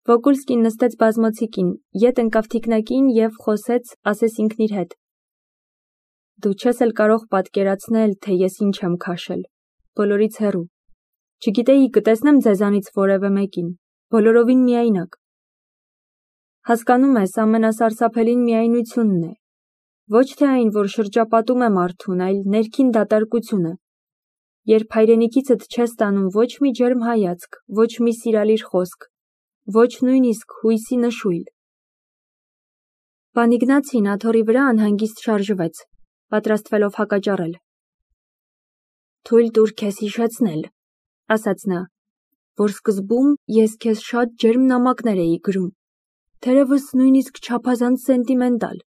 Վոկուլսկին նստեց բազմոցիկին, ետ ընկավ թիկնակին և խոսեց, ասես ինքն իր հետ. Դու չես էլ կարող պատկերացնել, թե ես ինչ եմ քաշել, բոլորից հեռու, չգիտեի կտեսնեմ ձեզանից որևէ մեկին, բոլորովին միայնակ։ Հասկանում ես, ամենասարսափելին միայնությունն է, ոչ թե այն, որ շրջապատում է մարդուն, այլ ներքին դատարկությունը, երբ հայրենիքիցդ չես տանում ոչ մի ջերմ հայացք, ոչ մի սիրալիր խոսք, ոչ նույնիսկ հույսի նշույլ։ Պան Իգնացին աթոռի վրա անհանգիստ շարժվեց, պատրաստվելով հակաճառել։ Թույլ տուր քեզ հիշեցնել, ասաց նա, որ սկզբում ես քեզ շատ ջերմ նամակներ էի գրում, թերևս նույնիսկ չափազանց սենտիմենտալ,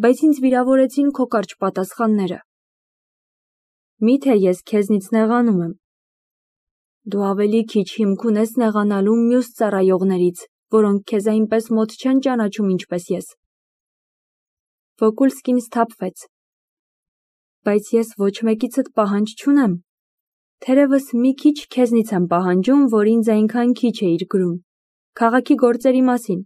բայց ինձ վիրավորեցին քո կարճ պատասխանները։ Միթե ես քեզնից նեղանում եմ։ Դու ավելի քիչ հիմք ունես նեղանալու մյուս ծառայողներից, որոնք քեզ այնպես մոտ չեն ճանաչում, ինչպես ես։ Վոկուլսկին սթափվեց։ Բայց ես ոչ մեկիցդ պահանջ չունեմ։ Թերևս մի քիչ քեզնից եմ պահանջում, որ ինձ այնքան քիչ էիր գրում, քաղաքի գործերի մասին։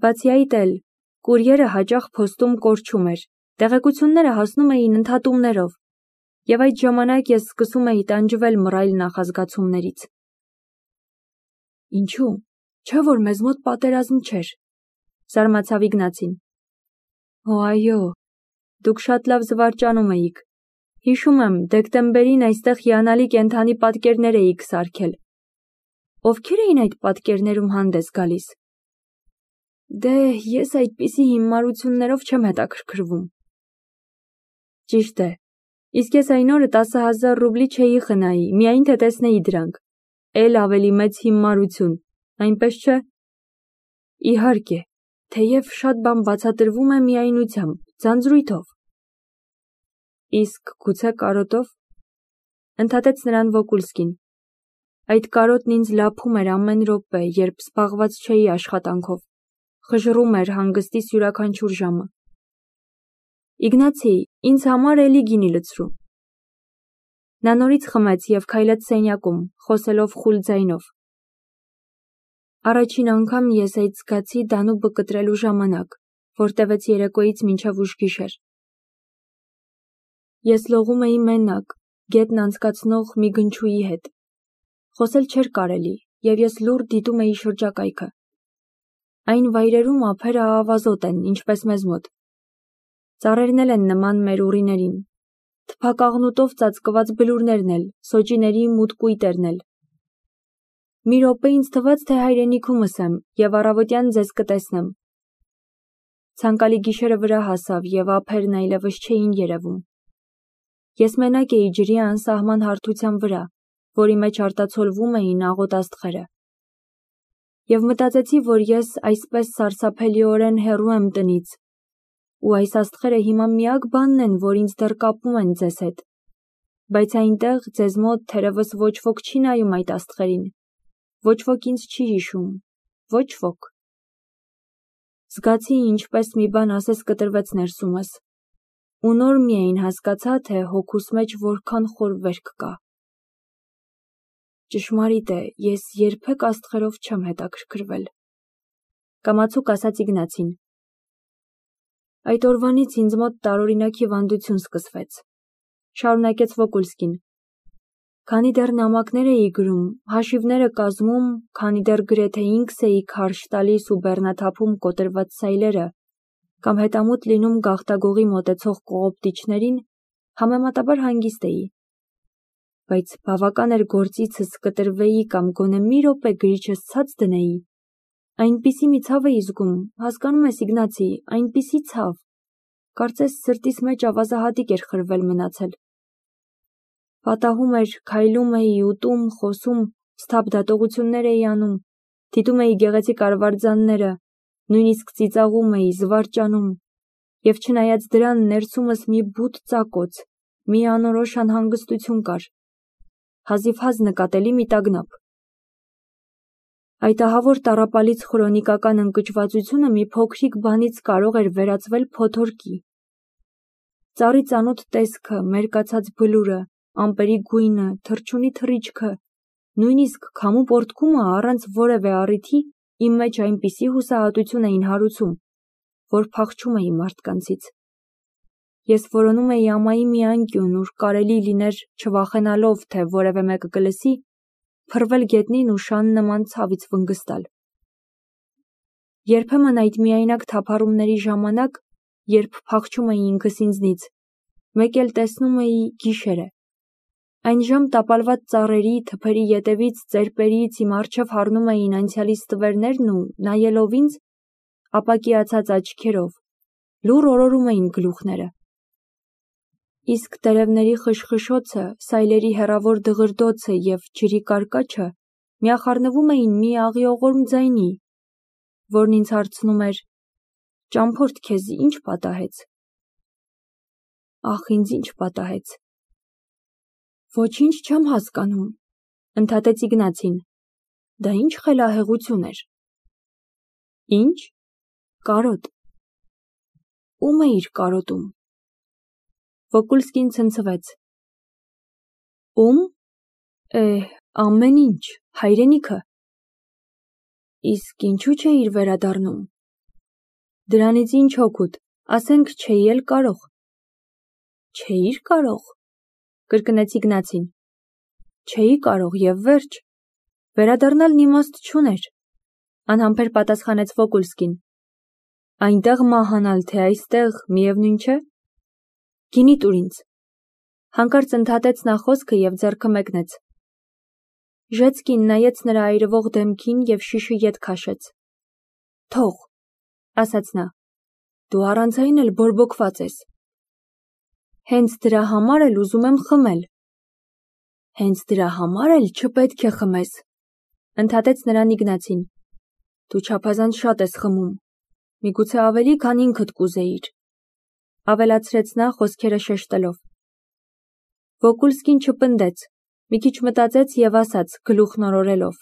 Բացի այդ էլ, կուրիերը հաճախ փոստում կորչում էր, տեղեկությունները հասնում էին ընդհատումներով, և այդ ժամանակ ես սկսում էի տանջվել մռայլ նախազգացումներից։ Ինչու՞, չէ՞ որ մեզ մոտ պատերազմ չէր, զարմացավ Իգնացին։ Օ, այո, դուք շատ լավ զվարճանում էիք։ Հիշում եմ, դեկտեմբերին այստեղ հիանալի կենդանի պատկերներ էիք սարքել։ Ովքեր էին այդ պատկերներում հանդես գալիս։ Դե, ես այդպիսի հիմարություններով չեմ հետաքրքրվում։ Ճիշտ է, իսկ ես այն օրը 10,000 ռուբլի չէի խնայի, միայն թե տեսնեի դրանք, էլ ավելի մեծ հիմարություն, այնպես չէ։ Իհարկե, թեև շատ բան բացատրվում է միայնությամբ, ձանձրույթով։ Իսկ գուցե կարոտով, ընդհատեց նրան Վոկուլսկին։ Այդ կարոտն ինձ լափում էր ամեն րոպե, երբ զբաղված չէի աշխատանքով, խժռում էր հանգստիս յուրաքանչյուր ժամը։ Իգնացի, ինձ համար էլի գինի լցրու։ Նա նորից խմեց և քայլեց սենյակում, խոսելով խուլ ձայնով։ Առաջին անգամ ես այդ զգացի Դանուբը կտրելու ժամանակ, որ տևեց երեկոյից մինչև ուշ գիշեր։ Ես լողում էի մենակ, գետն անցկացնող մի գնչուի հետ։ Խոսել չէր կարելի, և ես լուռ դիտում էի շրջակայքը։ Այն վայրերում ափերը ավազոտ են, ինչպես մեզ մոտ։ Ծառերն էլ են նման մեր ուռիներին, թփակաղնուտով ծածկված բլուրներն էլ, սոճիների մութ կույտերն էլ։ Մի րոպե ինձ թվաց, թե հայրենիքումս եմ և առավոտյան ձեզ կտեսնեմ։ Ցանկալի գիշերը վրա հասավ և ափերն այլևս չէին երևում։ Ես մենակ էի ջրի անսահման հարթության վրա, որի մեջ արտացոլվում էին աղոտ աստղերը։ Եվ մտածեցի, որ ես այսպես սարսափելիորեն հեռու եմ տնից, ու այս աստղերը հիմա միակ բանն են, որ ինձ դեռ կապում են ձեզ հետ, բայց այնտեղ ձեզ մոտ թերևս ոչ ոք չի նայում այդ աստղերին, ոչ ոք ինձ չի հիշում, ոչ ոք։ Զգացի, ինչպես մի բան ասես կտրվեց ներսումս, ու նոր միայն հասկացա, թե հոգուս մեջ որքան խոր վերք կա։ Ճշմարիտ է, ես երբեք աստղերով չեմ հետաքրքրվել, կամացուկ ասաց Իգնացին։ Այդ օրվանից ինձ մոտ տարօրինակ հիվանդություն սկսվեց, շարունակեց Վոկուլսկին։ Քանի դեռ նամակներ էի գրում, հաշիվները կազմում, քանի դեռ գրեթե ինքս էի քարշ տալիս ու բեռնաթափում կոտրված սայլերը, կամ հետամուտ լինում գաղտագողի մոտեցող կողոպտիչներին, համեմատաբար հանգիստ էի։ Բայց բավական էր գործիցս կտրվեի կամ գոնե մի րոպե գրիչս ցած դնեի, այնպիսի մի ցավ էի զգում, հասկանում ես, Իգնացի, այնպիսի ցավ, կարծես սրտիս մեջ ավազահատիկ էր խրվել մնացել։ Պատահում էր, քայլում էի, ուտում, խոսում, սթափ դատողություններ էի անում, դիտում էի գեղեցիկ արվարձանները, նույնիսկ ծիծաղում էի, զվարճանում, և չնայած դրան ներսումս մի բութ ծակոց, մի անորոշ անհանգստություն կար, հազիվհազ նկատելի մի տագնապ։ Այդ ահավոր տառապալից խրոնիկական ընկճվածությունը մի փոքրիկ բանից կարող էր վերածվել փոթորկի։ Ծառի ծանոթ տեսքը, մերկացած բլուրը, ամպերի գույնը, թռչունի թռիչքը, նույնիսկ քամու պոռթկումը առանց որևէ առիթի իմ մեջ այնպիսի հուսահատություն էին հարուցում, որ փախչում էի մարդկանցից։ Ես որոնում էի ամայի մի անկյուն, ուր կարելի լիներ չվախենալով, թե որևէ մեկը կլսի, փռվել գետնին ու շան նման ցավից վնգստալ։ Երբեմն այդ միայնակ թափառումների ժամանակ, երբ փախչում էի ինքս ինձնից, մեկ էլ տեսնում էի գիշերը։ Այն ժամ տապալված ծառերի, թփերի ետևից, ծերպերից իմ առջև հառնում էին անցյալիս ստվերներն ու, նայելով ինձ, ապակիացած աչքերով, լուռ օրորում էին գլուխները։ Իսկ տերևների խշխշոցը, սայլերի հեռավոր դղրդոցը և ջրի կարկաչը միախառնվում էին մի աղիողորմ ձայնի, որն ինձ հարցնում էր. «Ճամփորդ, քեզ ինչ պատահեց»։ Ախ, ինձ ինչ պատահեց։ Ոչինչ չեմ հասկանում, ընդհատեց Իգնացին։ Դա ինչ խելահեղություն էր։ Ինչ։ Կարոտ։ Ում էիր կարոտում։ Վոկուլսկին ցնցվեց։ Ում։ Ամեն ինչ, հայրենիքը։ Իսկ ինչու չէիր վերադառնում։ Դրանից ինչ օգուտ, ասենք չէի էլ կարող։ Չէիր կարող, կրկնեց Իգնացին։ Չէի կարող և վերջ։ Վերադառնալն իմաստ չուներ, անհամբեր պատասխանեց Վոկուլսկին։ Այնտեղ մահանալ, թե այստեղ, միևնույն չէ։ Գինի տուր ինձ։ Հանկարծ ընդհատեց նա խոսքը և ձեռքը մեկնեց։ Ժեցկին նայեց նրա այրվող դեմքին և շիշը ետ քաշեց։ Թող, ասաց նա, դու առանց այն էլ բորբոքված ես։ Հենց դրա համար էլ ուզում եմ խմել։ Հենց դրա համար էլ չպետք է խմես, ընդհատեց նրան Իգնացին։ Դու չափազանց շատ ես խմում, միգուցե ավելի, քան ինքդ կուզեիր, ավելացրեց նա խոսքերը շեշտելով։ Վոկուլսկին չպնդեց, մի քիչ մտածեց և ասաց, գլուխն օրորելով.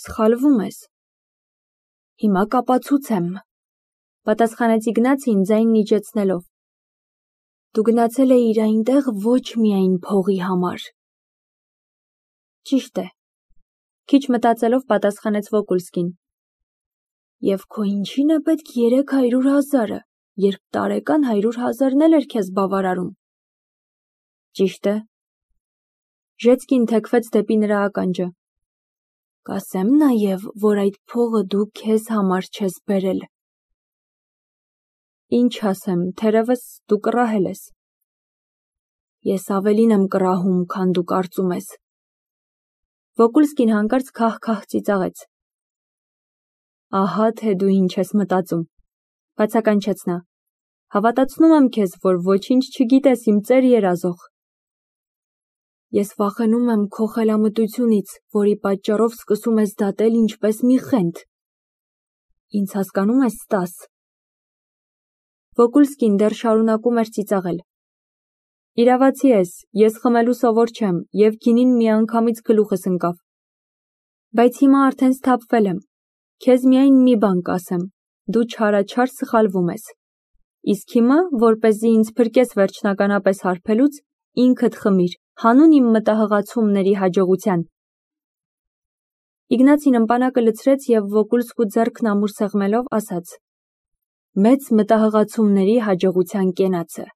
Սխալվում ես։ Հիմա կապացուցեմ, պատասխանեց Իգնացին ձայնն իջեցնելով։ Դու գնացել էիր այնտեղ ոչ միայն փողի համար։ Ճիշտ է, քիչ մտածելով պատասխանեց Վոկուլսկին։ Եվ քո ինչին է պետք 300,000-ը, երբ տարեկան 100,000-ն էլ էր քեզ բավարարում։ Ճիշտ է։ Ժեցկին թեքվեց դեպի նրա ականջը։ Կասեմ նաև, որ այդ փողը դու քեզ համար չես բերել։ Ինչ ասեմ, թերևս դու կռահել ես։ Ես ավելին եմ կռահում, քան դու կարծում ես։ Վոկուլսկին հանկարծ քահ-քահ ծիծաղեց։ Ահա թե դու ինչ ես մտածում, բացականչեց նա։ Հավատացնում եմ քեզ, որ ոչինչ չգիտես իմ ծեր երազող։ Ես վախենում եմ քո խելամտությունից, որի պատճառով սկսում ես դատել ինչպես մի խենթ։ Ինձ հասկանում ես, Ստաս։ Վոկուլսկին դեռ շարունակում էր ծիծաղել։ Իրավացի ես, ես խմելու սովոր չեմ, և գինին միանգամից գլուխս ընկավ։ Բայց հիմա արդեն սթափվել եմ։ Քեզ միայն մի բան կասեմ, դու չարաչար սխալվում ես։ Իսկ հիմա, որպեսզի ինձ փրկես վերջնականապես հարբելուց, ինքդ խմիր, հանուն իմ մտահղացումների հաջողության։ Իգնացին ըմպանակը լցրեց և Վոկուլսկու ձեռքն ամուր սեղմելով ասաց. Մեծ մտահղացումների հաջողության կենացը։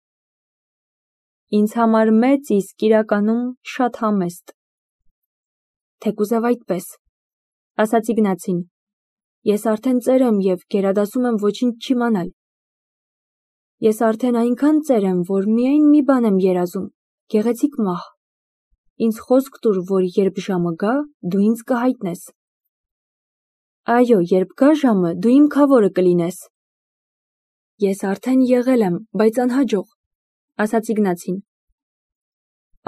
Ինձ համար մեծ, իսկ իրականում շատ համեստ։ Թեկուզև այդպես, ասաց Իգնացին։ Ես արդեն ծեր եմ և գերադասում եմ ոչինչ չիմանալ։ Ես արդեն այնքան ծեր եմ, որ միայն մի բան եմ երազում, գեղեցիկ մահ։ Ինձ խոսք տուր, որ երբ ժամը գա, դու ինձ կհայտնես։ Այո, երբ գա ժամը, դու իմ քավորը կլինես։ Ես արդեն եղել եմ, բայց անհաջող, ասաց Իգնացին։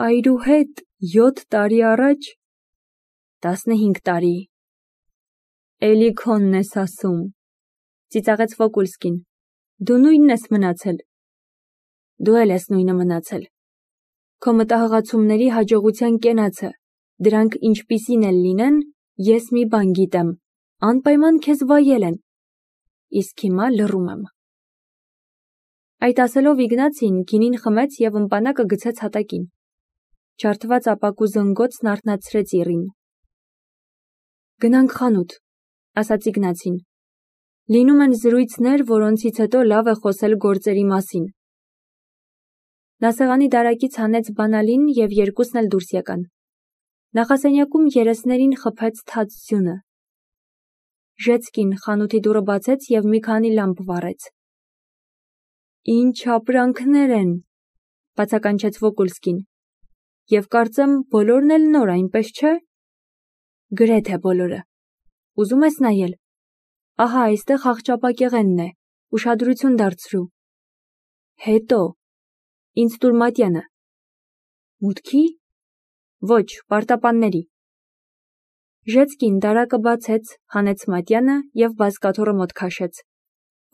Այրու հետ 7 տարի առաջ։ 15 տարի։ Էլի քոնն ես ասում, ծիծաղեց Վոկուլսկին։ Դու նույնն ես մնացել։ Դու էլ ես նույնը մնացել։ Քո մտահղացումների հաջողության կենացը, դրանք ինչպիսին էլ լինեն, ես մի բան գիտեմ, անպայման քեզ վայել են։ Իսկ հիմա լռում եմ։ Այդ ասելով Իգնացին գինին խմեց և ըմպանակը գցեց հատակին։ Ջարդված ապակու զնգոցն արթնացրեց իռին։ Գնանք խանութ, ասաց Իգնացին։ Լինում են զրույցներ, որոնցից հետո լավ է խոսել գործերի մասին։ Նա սեղանի դարակից հանեց բանալին և երկուսն էլ դուրս եկան։ Նախասենյակում երեսներին խփեց թաց ձյունը։ Ժեցկին խանութի դուռը բացեց և մի քանի լամպ վառեց։ Ինչ ապրանքներ են, բացականչեց Վոկուլսկին։ Եվ կարծեմ բոլորն էլ նոր, այնպես չէ։ Գրեթե բոլորը։ Ուզում ես նայել։ Ահա այստեղ աղջապակեղենն է, ուշադրություն դարձրու։ Հետո, ինձ տուր մատյանը։ Մուտքի։ Ոչ, պարտապանների։ Ժեցկին դարակը բացեց, հանեց մատյանը և բազկաթոռը մոտ քաշեց։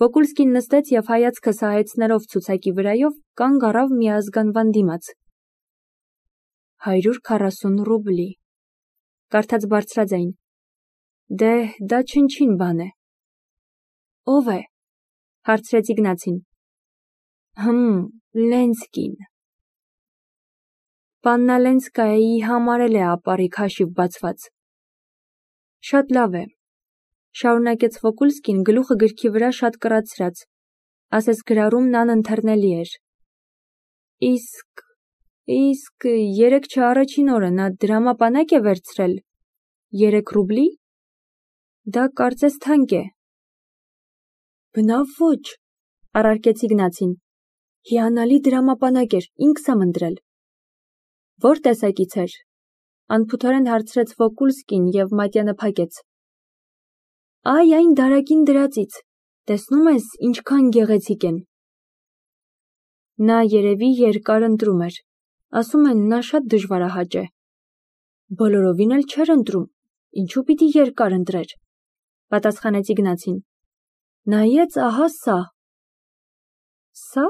Վոկուլսկին նստեց և հայացքը սահեցնելով ցուցակի վրայով կանգ առավ միազգանվան դիմաց։ 140 ռուբլի, կարդաց բարձրաձայն։ Դե, դա չնչին բան է։ Ո՞վ է, հարցրեց Իգնացին։ Լենսկին։ Պաննա Լենսկայայի համար էլ է ապառիկ հաշիվ բացված։ Շատ լավ է, շարունակեց Վոկուլսկին գլուխը գրքի վրա շատ կռացրած, ասես գրառումն անընթեռնելի էր։ Իսկ 3 չառաջին օրը նա դրամապանակ է վերցրել 3 ռուբլի։ Դա կարծես թանկ է։ Բնավ ոչ, առարկեց Իգնացին։ Հիանալի դրամապանակ էր, ինքս եմ ընտրել։ Ո՞ր տեսակից էր, անփութորեն հարցրեց Վոկուլսկին և մատյանը փակեց։ Այ այն դարակին դրածից, տեսնում ես ինչքան գեղեցիկ են։ Նա երևի երկար ընտրում էր, ասում են նա շատ դժվարահաճ է։ Բոլորովին էլ չէր ընտրում, ինչու պիտի երկար ընտրեր, պատասխանեց Իգնացին։ Նայեց ահա սա։ Սա։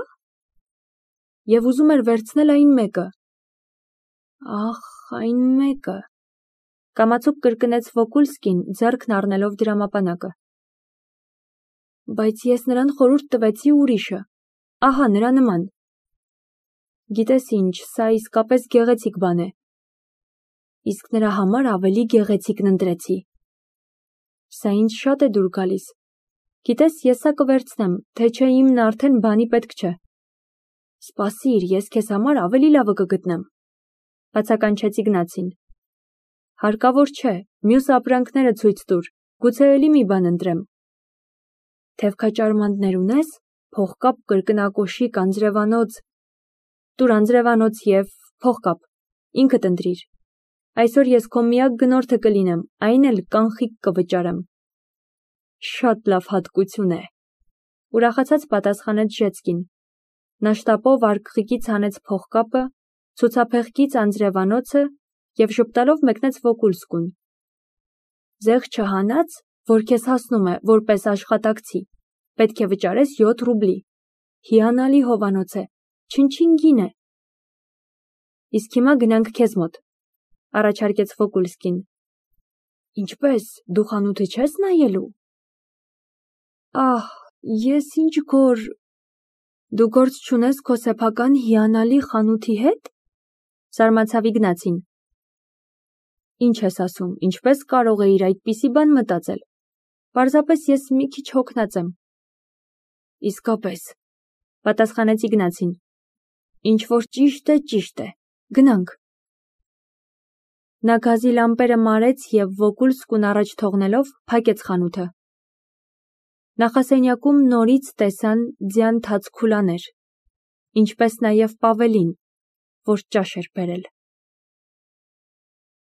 Եվ ուզում էր վերցնել այն մեկը։ Ախ, այն մեկը, կամացուկ կրկնեց Վոկուլսկին, ձեռքն առնելով դրամապանակը։ Բայց ես նրան խորհուրդ տվեցի ուրիշը, ահա նրա նման։ Գիտես ինչ, սա իսկապես գեղեցիկ բան է։ Իսկ նրա համար ավելի գեղեցիկն ընտրեցի։ Սա ինձ շատ է դուր գալիս։ Գիտես, ես սա կվերցնեմ, թե չէ իմն արդեն բանի պետք չէ։ Սպասիր, ես քեզ համար ավելի լավը կգտնեմ, բացականչեց Իգնացին։ Հարկավոր չէ, մյուս ապրանքները ցույց տուր, գուցե էլի մի բան ընտրեմ։ Թևքաճարմանտներ ունես, փողկապ, կրկնակոշիկ, անձրևանոց։ Տուր անձրևանոց և փողկապ, ինքդ ընտրիր։ Այսօր ես քո միակ գնորդը կլինեմ, այն էլ կանխիկ կվճարեմ։ Շատ լավ հատկություն է, ուրախացած պատասխանեց Ժեցկին։ Նա շտապով արկղիկից հանեց փողկապը, ցուցափեղկից անձրևանոցը և ժպտալով մեկնեց Վոկուլսկուն։ Զեղ չհանած, որ քեզ հասնում է որպես աշխատակցի, պետք է վճարես 7 ռուբլի։ Հիանալի հովանոց է, չնչին գին է։ Իսկ հիմա գնանք քեզ մոտ, առաջարկեց Վոկուլսկին։ Ինչպես, դու խանութը չես նայելու։ Ահ, ես ինչ գոր։ Դու գործ չունես քո սեփական հիանալի խանութի հետ։ Զարմացավ Իգնացին։ Ինչ ես ասում, ինչպես կարող էիր այդպիսի բան մտածել։ Պարզապես ես մի քիչ հոգնած եմ։ Իսկապես, պատասխանեց Իգնացին։ Ինչ որ ճիշտ է, գնանք։ Նա գազի լամպերը մարեց և Վոկուլսկուն առաջ թողնելով փակեց խանութը։ Նախասենյակում նորից տեսան ձյան թաց քուլաներ, ինչպես նաև Պավելին, որ ճաշ էր բերել։